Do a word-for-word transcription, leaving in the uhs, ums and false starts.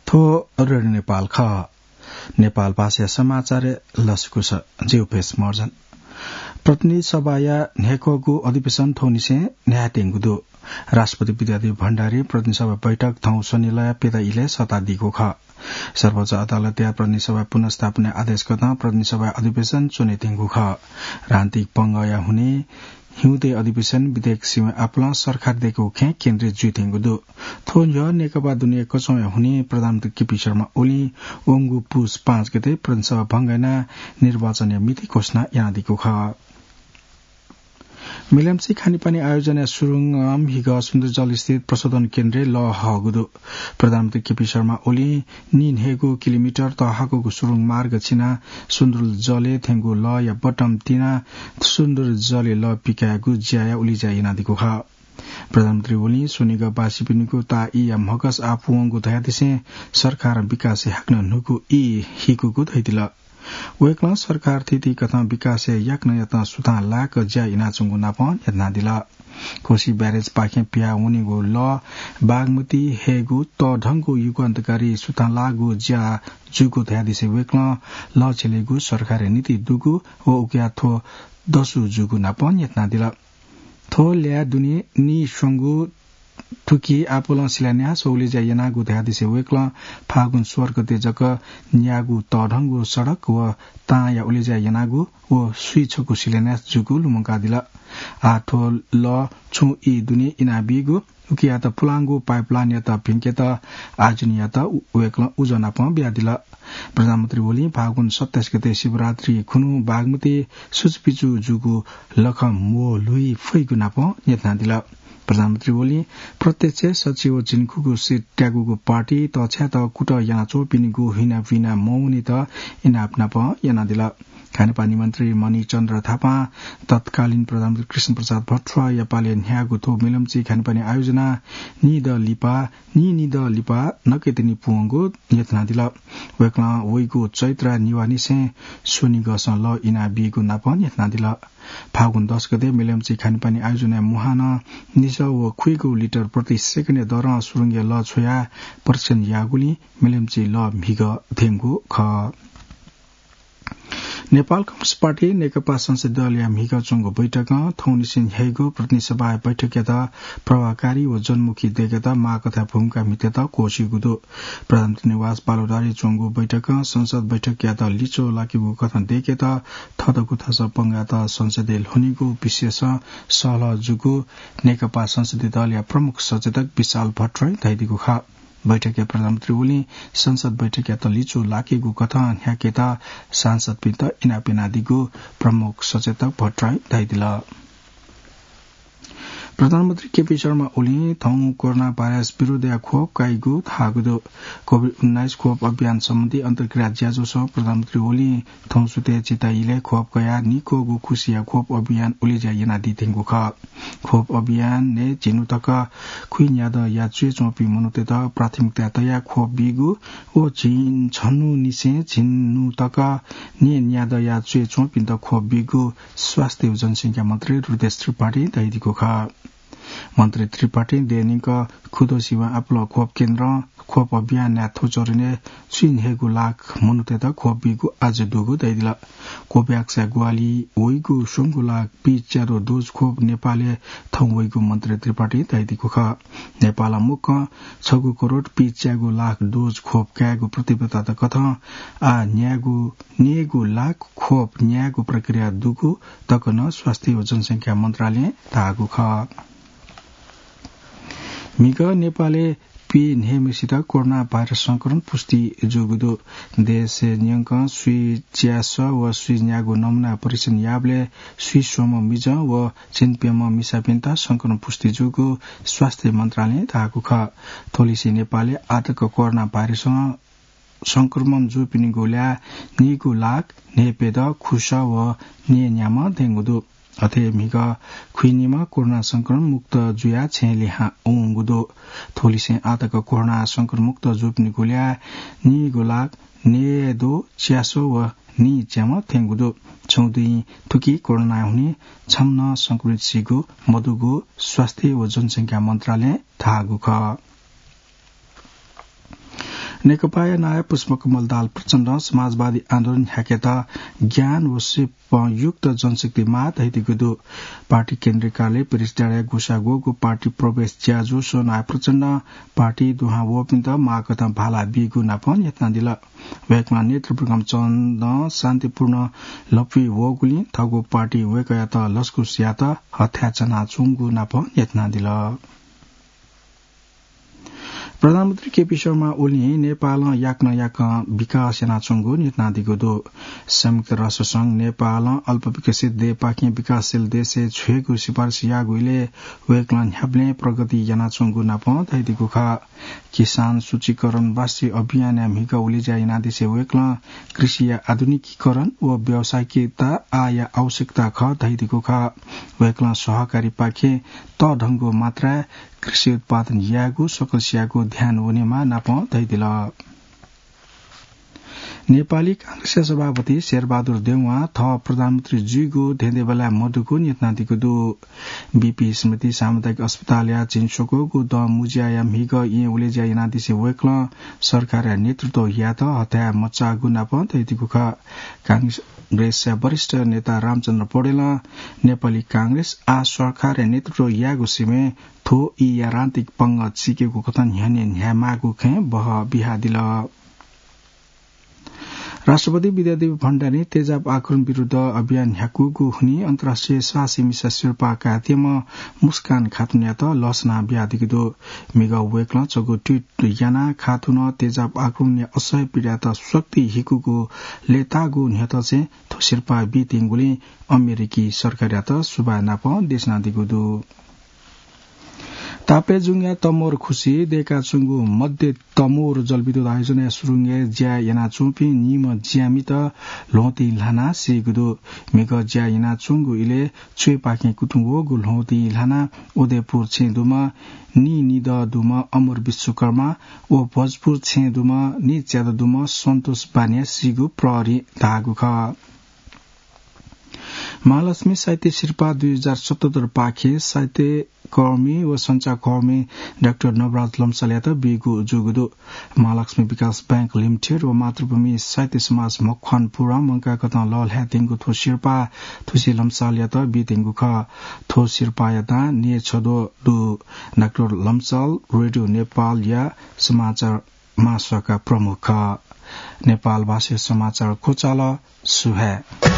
थ्व रेडियो नेपाल खः। नेपाल भाषाया समाचार लसकुस। ज्यू, पेश महर्जन। प्रतिनिधि सभाया न्ह्याक्वःगु अधिवेशन थौंनिसें न्ह्यायेत्यंगु दु। राष्ट्रपति विद्यादेवी भण्डारी प्रतिनिधि सभा बैठक थौं शनिलया प्यता इलय् सःतादीगु खः। सर्वोच्च अदालतया प्रतिनिधि सभा पुनर्स्थापना आदेश कथं प्रतिनिधि सभा अधिवेशन च्वनेत्यंगु खः। राजनीतिक पंगःया हुनिं हिउँदे अधिवेशन विधेयक सिबें आपालं सरकार दयेकेगु खँय् केन्द्रित जुइत्यंगु दु। थ्व न्ह्यः नेकपा दुने कचंया हुनिं प्रधानमन्त्री केपी शर्मा ओलीं वंगु पुस पाँच गते प्रतिनिधि सभा भंग यानाः निर्वाचनया मिति घोषणा यानादीगु खः। मेलम्ची खानेपानी आयोजनया सुरुङं म्हिगः सुन्दरजल स्थित प्रशोधन केन्द्रय् लः हःगु दु। प्रधानमन्त्री केपी शर्मा ओलीं नीन्हय्गू किलोमिटर तःहाकूगु सुरुङ मार्ग छिनाः सुन्दरजलय् थ्यंगु लःया बटम तिनाः सुन्दरजलय् लः पिकायेगु ज्याया उलेज्या यानादीगु खः। प्रधानमन्त्री ओलीं स्वनिगःवासीपिनिगु ताःईया म्हगस आः पूवंगु धयादिसें सरकारं विकासय् हाकनं न्हूगु ई हिकूगु धयादिल। वय्कलं सरकार थीथी कथं विकासय् याकनं याकनं सुथां लाक ज्या यानाच्वंगु नापं न्ह्यथनादिल। कोशी ब्यारेजपाखें पिहां वनीगु लः बागमती हयेगु तःधंगु युगान्तकारी सुथां लाःगु ज्या जूगु धयादिसें वय्कलं लः छ्यलेगु सरकारया नीति दुगु व उकिया थ्व दसु जूगु नापं न्ह्यथनादिल। थ्व ल्याः दुने नीस्वंगु थुकी आपालं शिलान्यास व उलेज्या यानागु धयादिसें वय्कलं फागुन सोह्र गते जक न्यागू तःधंगु सडक व तांया उलेज्या यानागु व स्वीछकू शिलान्यास जूगु लुमंकादिल। आः थ्व लः छुं ई दुने इनाबीगु उकियात पुलांगु पाइपलाइनयात भिंकेत आयोजनयात उ-, वय्कलं उजं नापं बियादिल। प्रधानमन्त्री ओलीं फागुन सत्ताइस गते शिवरात्रि खुन्हु बागमती सुचुपिचु जूगु लखं म्वःल्हुइ फइगु नापं न्ह्यथनादिल। प्रधानमन्त्री ओलीं प्रत्यक्ष सच्छि व झिंखुगू सिट त्यागूगु पार्टी तछ्यात कुतः यानाच्वंपिनिगु हिनापिना मवनेत इनाप नापं यानादिल। खानेपानी मन्त्री मणिचन्द्र थापां तत्कालीन प्रधानमन्त्री कृष्णप्रसाद भट्टराईया पालय् न्ह्याःगु थ्व मेलम्ची खानेपानी आयोजना निदँ लिपा, नीनिदँ लिपा नकतिनि पूवंगु न्ह्यथनादिल। वय्कलं वइगु चैत्र निवाःनिसें स्वनिगःसं लः इनाबीगु नापं न्ह्यथनादिल। फागुन दस गते मेलम्ची खानेपानी आयोजनाया मुहानं निसः व खुइगू लिटर प्रति सेकेन्डया दरं सुरुङया लः छ्वयाः परीक्षण याःगुलिं मेलम्ची लः म्हिगः थ्यंगु खः। नेपाल कम्युनिस्ट पार्टी नेकपा संसदीय दलया म्हिगः च्वंगु बैठकं थौंनिसें न्ह्याइगु प्रतिनिधि सभाया बैठकयात प्रभावकारी व जनमुखी दयेकेत माःकथाय् भूमिका म्हितेत क्वःछिइगु दु। प्रधानमन्त्री निवास बालुवाटारय् च्वंगु बैठकं संसद बैठकयात लिच्वः लाकेगु कथं दयेकेत थःतःगु थासः पंगाःत संसदय् ल्ह्वनीगु विषयसं सहलह जूगु नेकपा संसदीय दलया प्रमुख सचेतक विशाल भट्टराईं धयादीगु खः। बैठकय् प्रधानमन्त्री ओलीं संसद बैठकयात लिच्वः लाकेगु कथं न्ह्याकेत सांसदपिन्त इनाप यानादीगु प्रमुख सचेतक भट्टराईं धयादिल। प्रधानमन्त्री केपी शर्मा ओलीं थौं कोरोना भाइरस विरुद्धया खोप काइगु धाःगु दु। कोभिड उन्नाइस खोप अभियान सम्बन्धी अन्तर्क्रिया ज्याझ्वलय् प्रधानमन्त्री ओलीं थौं सुथय् चिताइलय् खोप कयाः नीक्वःगु खुसिया खोप अभियान उलेज्या यानादीत्यंगु खः। खोप अभियानय् झिन्हु तक खुइन्यादँया च्वय् च्वंपिं मनूतय्त प्राथमिकता तयाः खोप बीगु व झिंछन्हुनिसें झिन्हु तक न्यय्न्यादँया च्वय् च्वंपिन्त खोप बीगु स्वास्थ्य व जनसंख्या मन्त्री हृदयेश त्रिपाठीं धयादीगु खः। मन्त्री त्रिपाठीं देय् न्यंक खुदँ सिबें आपालं खोप केन्द्रं खोप अभियानया थ्व चरणय् स्वीन्हय्गू लाख मनूतय्त खोप बीगु आज्जु दुगु धयादिल। कोभ्याक्सया ग्वाहालिं वइगु स्वंगू लाख पीच्याद्वः डोज खोप नेपालय् थौं वइगु मन्त्री त्रिपाठीं धयादीगु खः। नेपालं मुक्कं छगू करोड पीच्यागू लाख डोज खोप कायेगु प्रतिबद्धता कथं आः न्यायेगु, न्यय्गू लाख खोप न्यायेगु प्रक्रिया दुगु तक नं स्वास्थ्य व जनसंख्या मन्त्रालयं धाःगु खः। म्हिगः नेपालय् पीन्हय्म्हेसित कोरोना भाइरस संक्रमण पुष्टि जूगु दु। देशय् न्यंकं स्वीच्यासः व स्वीन्यागू नमुना परीक्षण याःबलय् स्वीस्वम्ह मिजं व झिंप्यम्ह मिसापिन्त संक्रमण पुष्टि जूगु स्वास्थ्य मन्त्रालयं धाःगु खः। थ्वलिसे नेपालय् आःतक कोरोना भाइरसं संक्रमण जूपिनिगु ल्याः नीगू लाख न्हय्प्यदँ खुसः व न्यय्न्याम्ह थ्यंगु दु। अथे म्हिगः खुइनिम्ह कोरोना संक्रमण मुक्त जुयाः छेँय् लिहां वंगु दु। थ्वलिसें आःतक कोरोना संक्रमण मुक्त जूपिनिगु ल्याः नीगू लाख न्यय्द्वः च्यासः व नीच्याम्ह थ्यंगु दु। छगू दिं थुकी कोरोनाया हुनिं छम्ह नं संक्रमित सीगु मदुगु स्वास्थ्य व जनसंख्या मन्त्रालयं धाःगु खः। नेकपाया नायः पुष्पकमल दाहाल प्रचण्डं समाजवादी आन्दोलन न्ह्याकेत ज्ञान व सिपयुक्त जनशक्ति माः धयादीगु दु। पार्टी केन्द्रीय कार्यालय प्रेस डाँडाय् ग्वसाः ग्वःगु पार्टी प्रवेश ज्याझ्वलय् नायः प्रचण्डं पार्टी दुहां वःपिन्त माःकथं भाला बीगु नापं न्ह्यथनादिल। वय्कलं नेतृवृन्दं शान्तिपूर्ण लँपुइ वःगुलिं थःगु पार्टी वय्कःयात लसकुस यायेत हथाय् च्वनाच्वंगु नापं न्ह्यथनादिल। प्रधानमन्त्री केपी शर्मा ओलीं नेपालं याकनं याकं विकास यानाच्वंगु न्ह्यथनादीगु दु। संयुक्त राष्ट्र संघ नेपालं अल्पविकसित देय्‌पाखें विकासशील देशय् छ्वयेगु सिफारिस याःगु इलय् वय्कलं न्ह्याबलें प्रगति यानाच्वंगु नापं धयादीगु खः। किसान सूचीकरण राष्ट्रिय अभियानया म्हिगः उलेज्या यानादिसे वय्कलं कृषिया आधुनिकीकरण व व्यावसायिकता आःया आवश्यकता खः धयादीगु खः। वय्कलं सहकारीपाखें तःधंगु मात्राय् कृषि उत्पादन यायेगु सकलसियागु ध्यान वनेमाः नापं धयादिल। नेपाली कांग्रेसया सभापति शेरबहादुर देउवां थः प्रधानमन्त्री जुइगु धेंधेंबल्लाय् मदुगु न्ह्यथनादीगु दु। बीपी स्मृति सामुदायिक अस्पतालया झिंस्वक्वःगु दँ मुँज्याया म्हिगः येँ उलेज्या यानादिसे वय्कलं सरकारया नेतृत्व यायेत हथाय् मचाःगु नापं धयादीगु खः। कांग्रेसया वरिष्ठ नेता रामचन्द्र पौडेलं नेपाली कांग्रेस आः सरकारया नेतृत्व यायेगु सिबें थ्व ईया राजनीतिक पंगः चिकेगु कथं न्ह्यःने न्ह्यायेमाःगु खँय् बहः बियादिल। राष्ट्रपति विद्यादेवी भण्डारीं तेजाब आक्रमण विरुद्ध अभियान न्ह्याकूगु हुनिं अन्तर्राष्ट्रिय साहसी मिसा सिरपाः कायेत्यम्ह मुस्कान खातुनयात लसना बियादीगु दु। म्हिगः वय्कलं छगू ट्वीट यानाः खातुनं तेजाब आक्रमणया असह्य पीडायात शक्ति हिकूगु लय्ताःगु न्ह्यथंसें थ्व सिरपाः बीत्यंगुलिं अमेरिकी सरकारयात सुभाय् नापं देछानादीगु दु। ताप्लेजुङया तमोर खुसी दय्काच्वंगु मध्य तमोर जलविद्युत आयोजनाया सुरुङय् ज्या यानाच्वंपिं निम्ह ज्यामित ल्वहंतिं ल्हानाः सीगु दु। म्हिगः ज्या यानाच्वंगु इलय् च्वय्पाखें कुतुं वःगु ल्वहंतिं ल्हानाः उदयपुर छेँ दुम्ह नीनिदँ दुम्ह अमर विश्वकर्मा व भोजपुर छेँ दुम्ह नीच्यादँ दुम्ह सन्तोष बानिया सीगु प्रहरीं धाःगु खः। महालक्ष्मी साहित्य सिरपाः दुई हजार सतहत्तर पाखें साहित्यकर्मी व सञ्चारकर्मी डाक्टर नवराज लम्सालयात बीगु जूगु दु। महालक्ष्मी विकास बैंक लिमिटेड व मातृभूमि साहित्य समाज मकवानपुरं मंकाःकथं लःल्हायेत्यंगु थ्व सिरपाः थुसी लम्सालयात बीत्यंगु खः। थ्व सिरपाःया दां न्यय्छद्वः दु। डाक्टर लम्साल रेडियो नेपालया समाचार महाशाखा प्रमुख खः। नेपाल भाषाया समाचार क्वचाल। सुभाय्।